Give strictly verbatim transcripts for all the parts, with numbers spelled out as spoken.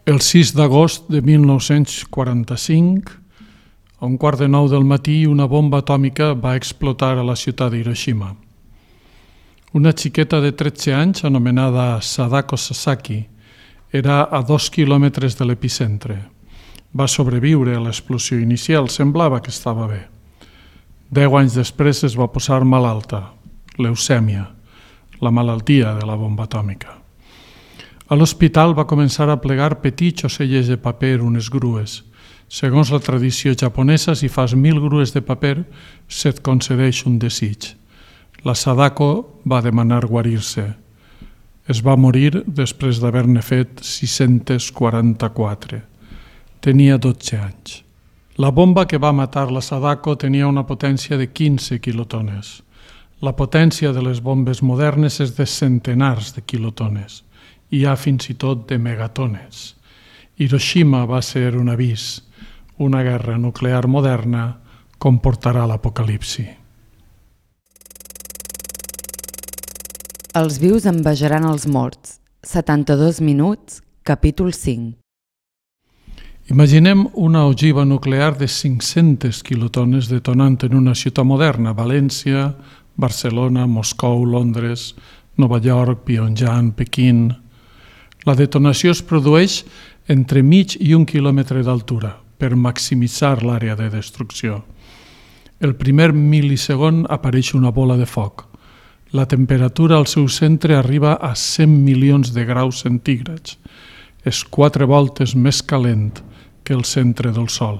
El sis d'agost de mil nou-cents quaranta-cinc, a un quart de nou del matí, una bomba atòmica va explotar a la ciutat d'Hiroshima. Una xiqueta de tretze anys, anomenada Sadako Sasaki, era a dos quilòmetres de l'epicentre. Va sobreviure a l'explosió inicial, semblava que estava bé. Deu anys després es va posar malalta, leucèmia, la malaltia de la bomba atòmica. A l'hospital va començar a plegar petits ocellets de paper, unes grues. Segons la tradició japonesa, si fas mil grues de paper, se't concedeix un desig. La Sadako va demanar guarir-se. Es va morir després d'haver-ne fet sis-cents quaranta-quatre. Tenia dotze anys. La bomba que va matar la Sadako tenia una potència de quinze quilotones. La potència de les bombes modernes és de centenars de quilotones. Hi ha fins i tot de megatones. Hiroshima va ser un avís. Una guerra nuclear moderna comportarà l'apocalipsi. Els vius envejaran els morts. setanta-dos minuts, capítol cinc. Imaginem una ogiva nuclear de cinc-centes quilotones detonant en una ciutat moderna, València, Barcelona, Moscou, Londres, Nova York, Pyongyang, Pequín. La detonació es produeix entre mig i un quilòmetre d'altura per maximitzar l'àrea de destrucció. El primer mil·lisegon apareix una bola de foc. La temperatura al seu centre arriba a cent milions de graus centígrads. És quatre voltes més calent que el centre del Sol.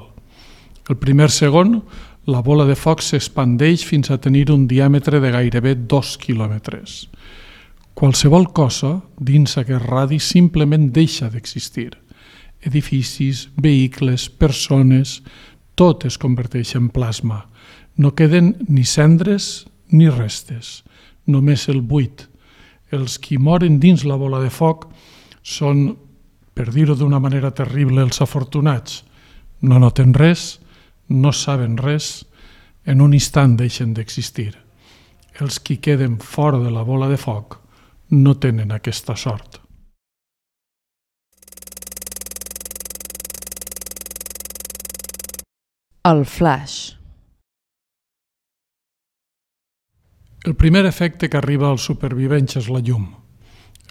El primer segon, la bola de foc s'expandeix fins a tenir un diàmetre de gairebé dos quilòmetres. Qualsevol cosa dins aquest radi simplement deixa d'existir. Edificis, vehicles, persones, tot es converteix en plasma. No queden ni cendres ni restes, només el buit. Els qui moren dins la bola de foc són, per dir-ho d'una manera terrible, els afortunats. No noten res, no saben res, en un instant deixen d'existir. Els qui queden fora de la bola de foc no tenen aquesta sort. El flash. El primer efecte que arriba als supervivents és la llum.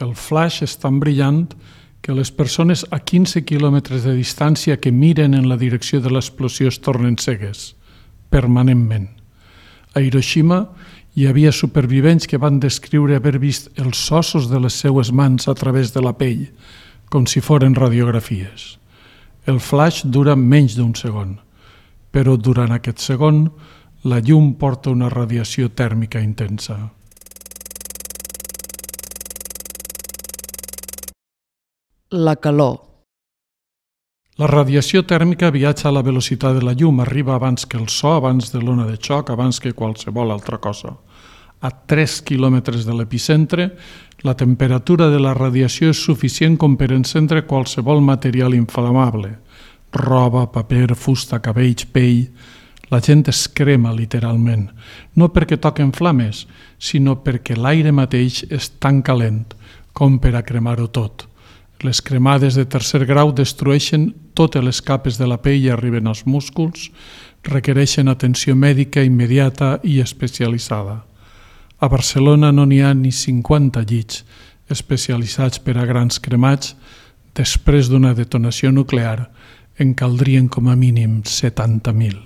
El flash és tan brillant que les persones a quinze quilòmetres de distància que miren en la direcció de l'explosió es tornen cegues, permanentment. A Hiroshima hi havia supervivents que van descriure haver vist els ossos de les seues mans a través de la pell, com si foren radiografies. El flash dura menys d'un segon, però durant aquest segon la llum porta una radiació tèrmica intensa. La calor. La radiació tèrmica viatja a la velocitat de la llum, arriba abans que el so, abans de l'ona de xoc, abans que qualsevol altra cosa. A tres quilòmetres de l'epicentre, la temperatura de la radiació és suficient com per encendre qualsevol material inflamable. Roba, paper, fusta, cabells, pell. La gent es crema literalment, no perquè toquen flames, sinó perquè l'aire mateix és tan calent com per a cremar-ho tot. Les cremades de tercer grau destrueixen totes les capes de la pell i arriben als músculs, requereixen atenció mèdica immediata i especialitzada. A Barcelona no n'hi ha ni cinquanta llits especialitzats per a grans cremats. Després d'una detonació nuclear en caldrien com a mínim setanta mil.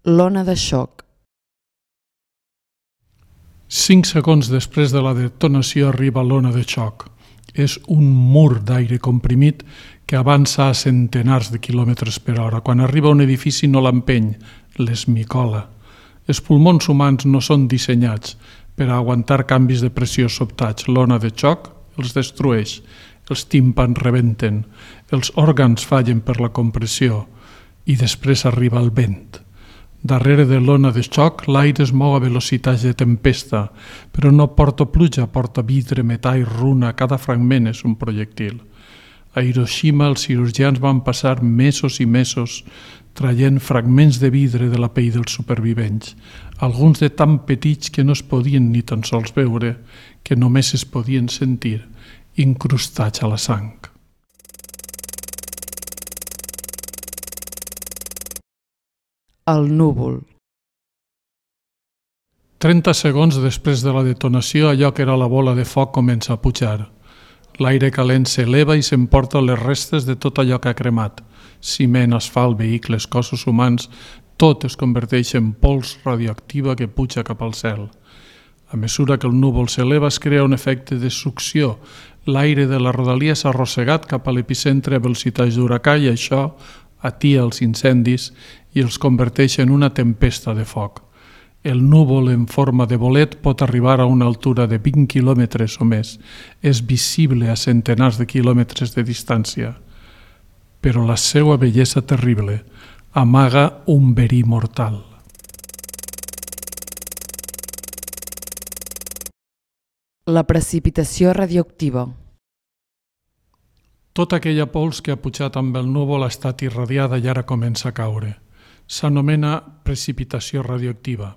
L'ona de xoc. Cinc segons després de la detonació arriba l'ona de xoc. És un mur d'aire comprimit que avança a centenars de quilòmetres per hora. Quan arriba a un edifici no l'empeny, l'esmicola. Els pulmons humans no són dissenyats per a aguantar canvis de pressió sobtats. L'ona de xoc els destrueix, els tímpans rebenten, els òrgans fallen per la compressió i després arriba el vent. Darrere de l'ona de xoc, l'aire es mou a velocitats de tempesta, però no porta pluja, porta vidre, metall, runa, cada fragment és un projectil. A Hiroshima els cirurgians van passar mesos i mesos traient fragments de vidre de la pell dels supervivents, alguns de tan petits que no es podien ni tan sols veure, que només es podien sentir, incrustats a la sang. El núvol. trenta segons després de la detonació, allò que era la bola de foc comença a pujar. L'aire calent s'eleva i s'emporta les restes de tot allò que ha cremat. Ciment, asfalt, vehicles, cossos humans, tot es converteix en pols radioactiva que puja cap al cel. A mesura que el núvol s'eleva es crea un efecte de succió. L'aire de la rodalia s'ha arrossegat cap a l'epicentre a velocitats d'huracà i això atia els incendis i els converteix en una tempesta de foc. El núvol en forma de bolet pot arribar a una altura de vint quilòmetres o més. És visible a centenars de quilòmetres de distància. Però la seva bellesa terrible amaga un verí mortal. La precipitació radioactiva. Tota aquella pols que ha pujat amb el núvol ha estat irradiada i ara comença a caure. S'anomena precipitació radioactiva.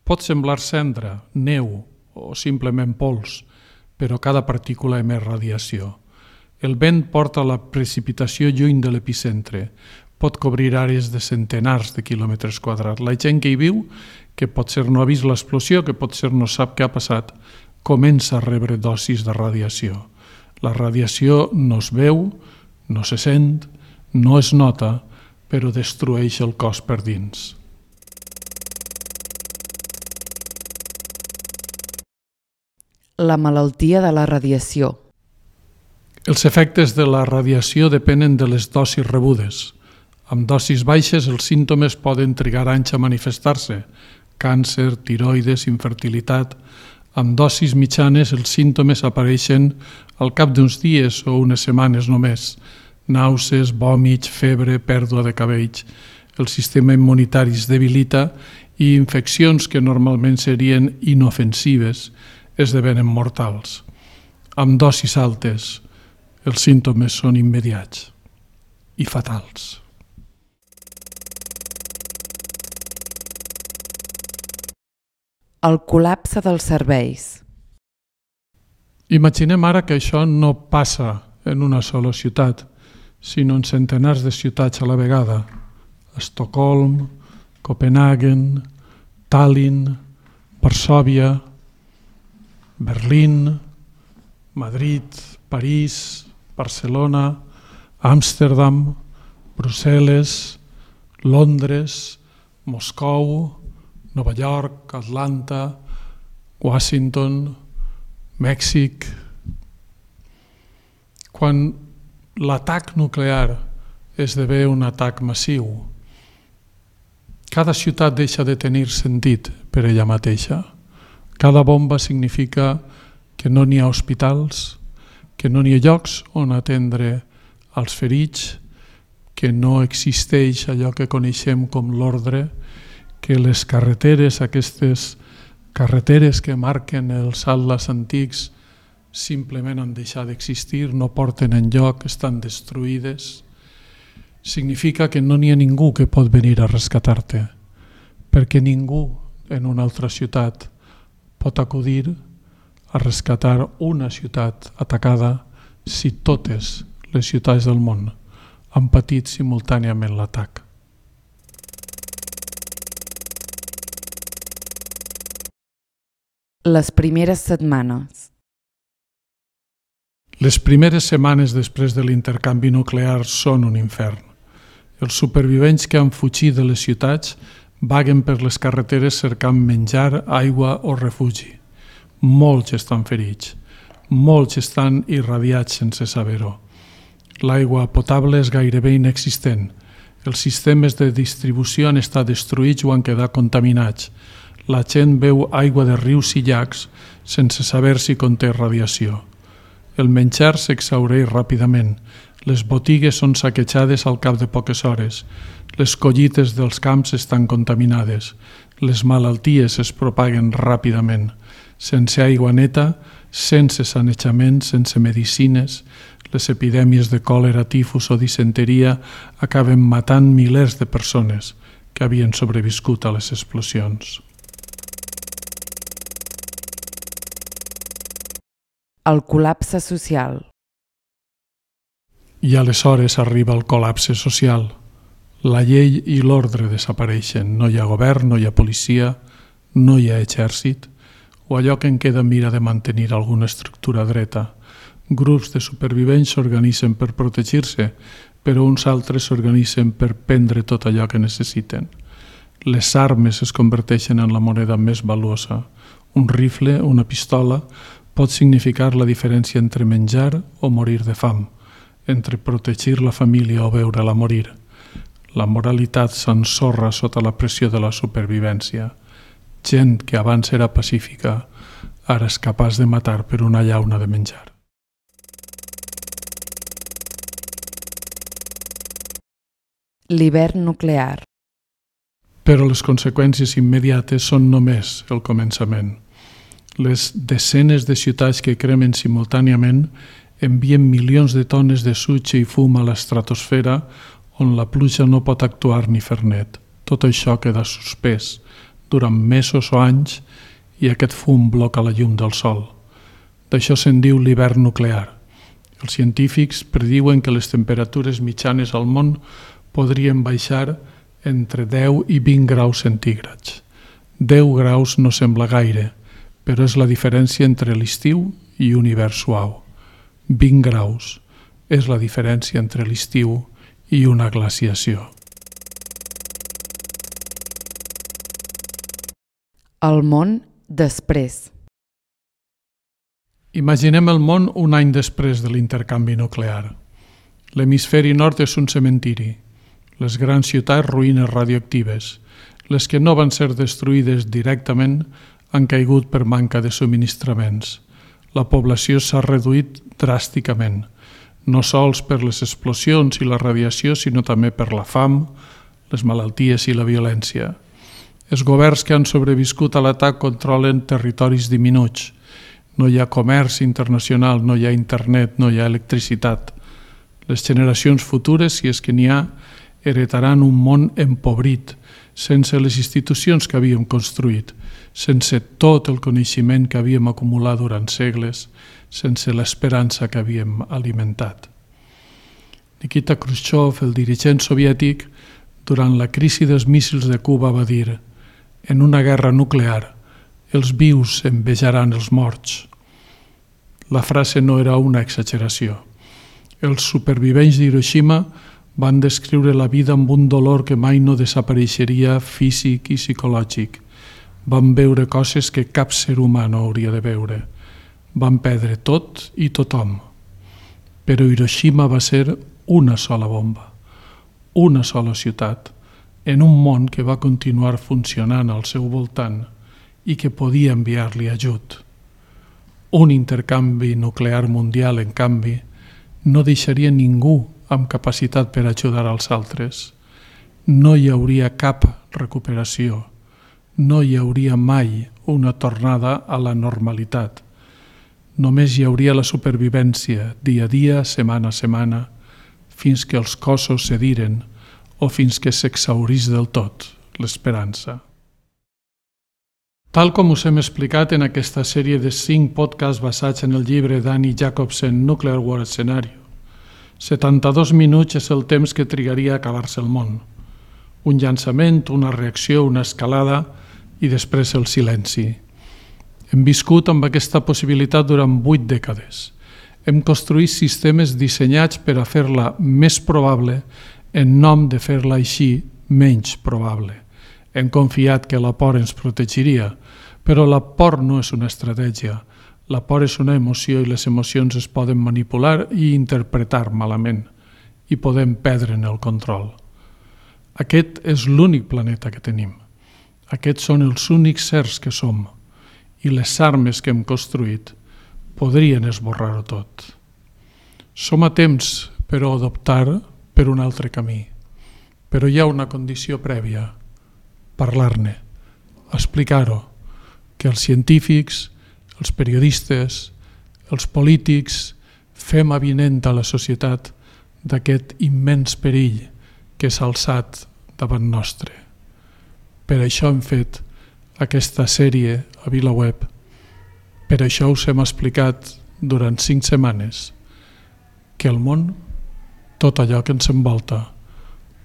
Pot semblar cendra, neu o simplement pols, però cada partícula emet radiació. El vent porta la precipitació lluny de l'epicentre. Pot cobrir àrees de centenars de quilòmetres quadrats. La gent que hi viu, que potser no ha vist l'explosió, que potser no sap què ha passat, comença a rebre dosis de radiació. La radiació no es veu, no se sent, no es nota, però destrueix el cos per dins. La malaltia de la radiació. Els efectes de la radiació depenen de les dosis rebudes. Amb dosis baixes els símptomes poden trigar anys a manifestar-se: càncer, tiroides, infertilitat. Amb dosis mitjanes els símptomes apareixen al cap d'uns dies o unes setmanes només. Nàusees, vòmits, febre, pèrdua de cabells. El sistema immunitari es debilita i infeccions que normalment serien inofensives esdevenen mortals. Amb dosis altes, els símptomes són immediats i fatals. El col·lapse dels serveis. Imaginem ara que això no passa en una sola ciutat, sinó en centenars de ciutats a la vegada. Estocolm, Copenhagen, Tallinn, Varsòvia, Berlín, Madrid, París, Barcelona, Amsterdam, Brussel·les, Londres, Moscou, Nova York, Atlanta, Washington, Mèxic. Quan l'atac nuclear esdevé un atac massiu, cada ciutat deixa de tenir sentit per ella mateixa. Cada bomba significa que no n'hi ha hospitals, que no n'hi ha llocs on atendre als ferits, que no existeix allò que coneixem com l'ordre, que les carreteres, aquestes carreteres que marquen els atles antics, simplement han deixat d'existir, no porten enlloc, estan destruïdes. Significa que no n'hi ha ningú que pot venir a rescatar-te, perquè ningú en una altra ciutat pot acudir a rescatar una ciutat atacada si totes les ciutats del món han patit simultàniament l'atac. Les primeres setmanes. Les primeres setmanes després de l'intercanvi nuclear són un infern. Els supervivents que han fugit de les ciutats vaguen per les carreteres cercant menjar, aigua o refugi. Molts estan ferits, molts estan irradiats sense saber-ho. L'aigua potable és gairebé inexistent. Els sistemes de distribució han estat destruïts o han quedat contaminats. La gent beu aigua de rius i llacs sense saber si conté radiació. El menjar s'exhaureix ràpidament. Les botigues són saquejades al cap de poques hores. Les collites dels camps estan contaminades. Les malalties es propaguen ràpidament. Sense aigua neta, sense sanejament, sense medicines, Les epidèmies de còlera, tifus o disenteria acaben matant milers de persones que havien sobreviscut a les explosions. El col·lapse social. I aleshores arriba el col·lapse social. La llei i l'ordre desapareixen. No hi ha govern, no hi ha policia, no hi ha exèrcit, o allò que en queda mira de mantenir alguna estructura dreta. Grups de supervivents s'organitzen per protegir-se, però uns altres s'organitzen per prendre tot allò que necessiten. Les armes es converteixen en la moneda més valuosa. Un rifle, una pistola, pot significar la diferència entre menjar o morir de fam, entre protegir la família o veure-la morir. La moralitat s'ensorra sota la pressió de la supervivència. Gent que abans era pacífica, ara és capaç de matar per una llauna de menjar. L'hivern nuclear. Però les conseqüències immediates són només el començament. Les desenes de ciutats que cremen simultàniament envien milions de tones de sutge i fum a l'estratosfera on la pluja no pot actuar ni fer net. Tot això queda suspès durant mesos o anys i aquest fum bloca la llum del sol. D'això se'n diu l'hivern nuclear. Els científics prediuen que les temperatures mitjanes al món podrien baixar entre deu i vint graus centígrads. deu graus no sembla gaire, però és la diferència entre l'estiu i un hivern suau. vint graus és la diferència entre l'estiu i una glaciació. El món després. Imaginem el món un any després de l'intercanvi nuclear. L'hemisferi nord és un cementiri. Les grans ciutats, ruïnes radioactives. Les que no van ser destruïdes directament han caigut per manca de subministraments. La població s'ha reduït dràsticament, no sols per les explosions i la radiació, sinó també per la fam, les malalties i la violència. Els governs que han sobreviscut a l'atac controlen territoris diminuts. No hi ha comerç internacional, no hi ha internet, no hi ha electricitat. Les generacions futures, si és que n'hi ha, heretaran un món empobrit, sense les institucions que havíem construït, sense tot el coneixement que havíem acumulat durant segles, sense l'esperança que havíem alimentat. Nikita Khrushchev, el dirigent soviètic, durant la crisi dels míssils de Cuba va dir: «En una guerra nuclear, els vius envejaran els morts». La frase no era una exageració. Els supervivents d'Hiroshima van descriure la vida amb un dolor que mai no desapareixeria físic i psicològic. Van veure coses que cap ser humà no hauria de veure. Van perdre tot i tothom. Però Hiroshima va ser una sola bomba, una sola ciutat, en un món que va continuar funcionant al seu voltant i que podia enviar-li ajut. Un intercanvi nuclear mundial, en canvi, no deixaria ningú amb capacitat per ajudar als altres. No hi hauria cap recuperació. No hi hauria mai una tornada a la normalitat. Només hi hauria la supervivència, dia a dia, setmana a setmana, fins que els cossos cediren o fins que s'exhaurís del tot l'esperança. Tal com us hem explicat en aquesta sèrie de cinc podcasts basats en el llibre d'Annie Jacobsen, Nuclear War Scenario, setanta-dos minuts és el temps que trigaria a acabar-se el món. Un llançament, una reacció, una escalada i després el silenci. Hem viscut amb aquesta possibilitat durant vuit dècades. Hem construït sistemes dissenyats per a fer-la més probable en nom de fer-la així menys probable. Hem confiat que la por ens protegiria, però la por no és una estratègia. La por és una emoció i les emocions es poden manipular i interpretar malament i podem perdre'n el control. Aquest és l'únic planeta que tenim. Aquests són els únics sers que som i les armes que hem construït podrien esborrar-ho tot. Som a temps, però, d'optar per un altre camí. Però hi ha una condició prèvia: parlar-ne, explicar-ho, que els científics, els periodistes, els polítics fem avinent a la societat d'aquest immens perill que s'ha alçat davant nostre. Per això hem fet aquesta sèrie a VilaWeb. Per això us hem explicat durant cinc setmanes que el món, tot allò que ens envolta,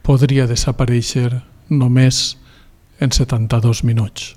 podria desaparèixer només en setanta-dos minuts.